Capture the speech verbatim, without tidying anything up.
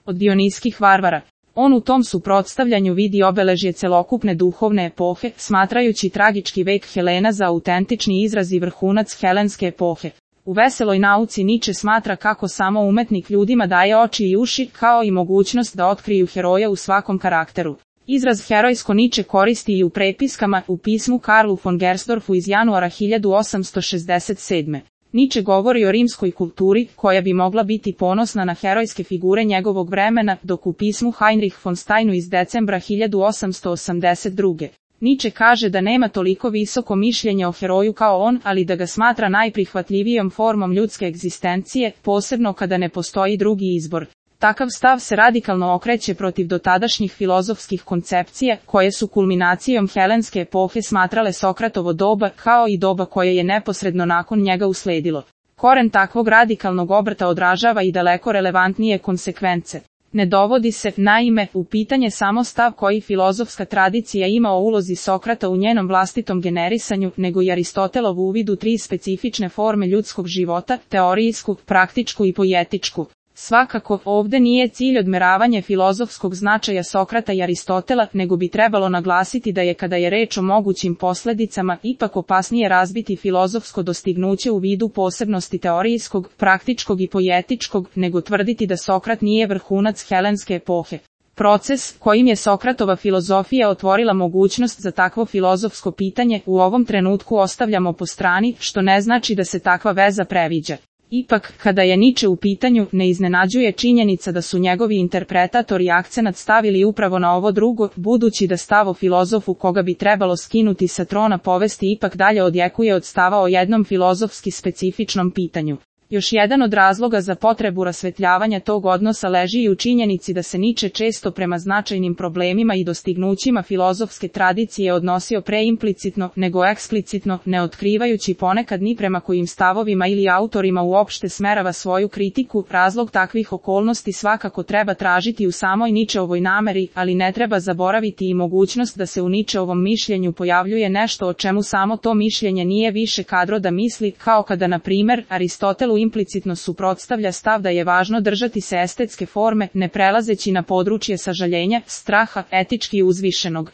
od dionijskih varvara. On u tom suprotstavljanju vidi obeležje celokupne duhovne epohe, smatrajući tragički vek Helena za autentični izraz i vrhunac helenske epohe. U Veseloj nauci Niče smatra kako samo umetnik ljudima daje oči i uši, kao i mogućnost da otkriju heroja u svakom karakteru. Izraz herojsko Niče koristi i u prepiskama, u pismu Karlu von Gersdorfu iz januara hiljadu osamsto šezdeset sedme. Niče govori o rimskoj kulturi, koja bi mogla biti ponosna na herojske figure njegovog vremena, dok u pismu Heinrich von Steinu iz decembra hiljadu osamsto osamdeset druge. Niče kaže da nema toliko visoko mišljenje o heroju kao on, ali da ga smatra najprihvatljivijom formom ljudske egzistencije, posebno kada ne postoji drugi izbor. Takav stav se radikalno okreće protiv dotadašnjih filozofskih koncepcija, koje su kulminacijom helenske epohe smatrale Sokratovo doba, kao i doba koje je neposredno nakon njega usledilo. Koren takvog radikalnog obrata odražava i daleko relevantnije konsekvence. Ne dovodi se, naime, u pitanje samo stav koji filozofska tradicija ima o ulozi Sokrata u njenom vlastitom generisanju, nego i Aristotelov uvid u tri specifične forme ljudskog života, teorijsku, praktičku i poetičku. Svakako, ovde nije cilj odmeravanje filozofskog značaja Sokrata i Aristotela, nego bi trebalo naglasiti da je kada je reč o mogućim posledicama ipak opasnije razbiti filozofsko dostignuće u vidu posebnosti teorijskog, praktičkog i poetičkog, nego tvrditi da Sokrat nije vrhunac helenske epohe. Proces, kojim je Sokratova filozofija otvorila mogućnost za takvo filozofsko pitanje, u ovom trenutku ostavljamo po strani, što ne znači da se takva veza previđa. Ipak, kada je Niče u pitanju, ne iznenađuje činjenica da su njegovi interpretatori akcenat stavili upravo na ovo drugo, budući da stav o filozofu koga bi trebalo skinuti sa trona povesti ipak dalje odjekuje od stava o jednom filozofski specifičnom pitanju. Još jedan od razloga za potrebu rasvetljavanja tog odnosa leži i u činjenici da se Niče često prema značajnim problemima i dostignućima filozofske tradicije odnosio preimplicitno, nego eksplicitno, ne otkrivajući ponekad ni prema kojim stavovima ili autorima uopšte smerava svoju kritiku. Razlog takvih okolnosti svakako treba tražiti u samoj Ničeovoj nameri, ali ne treba zaboraviti i mogućnost da se u Ničeovom mišljenju pojavljuje nešto o čemu samo to mišljenje nije više kadro da misli, kao kada, na primer, Aristotelu implicitno suprotstavlja stav da je važno držati se estetske forme, ne prelazeći na područje sažaljenja, straha, etički uzvišenog.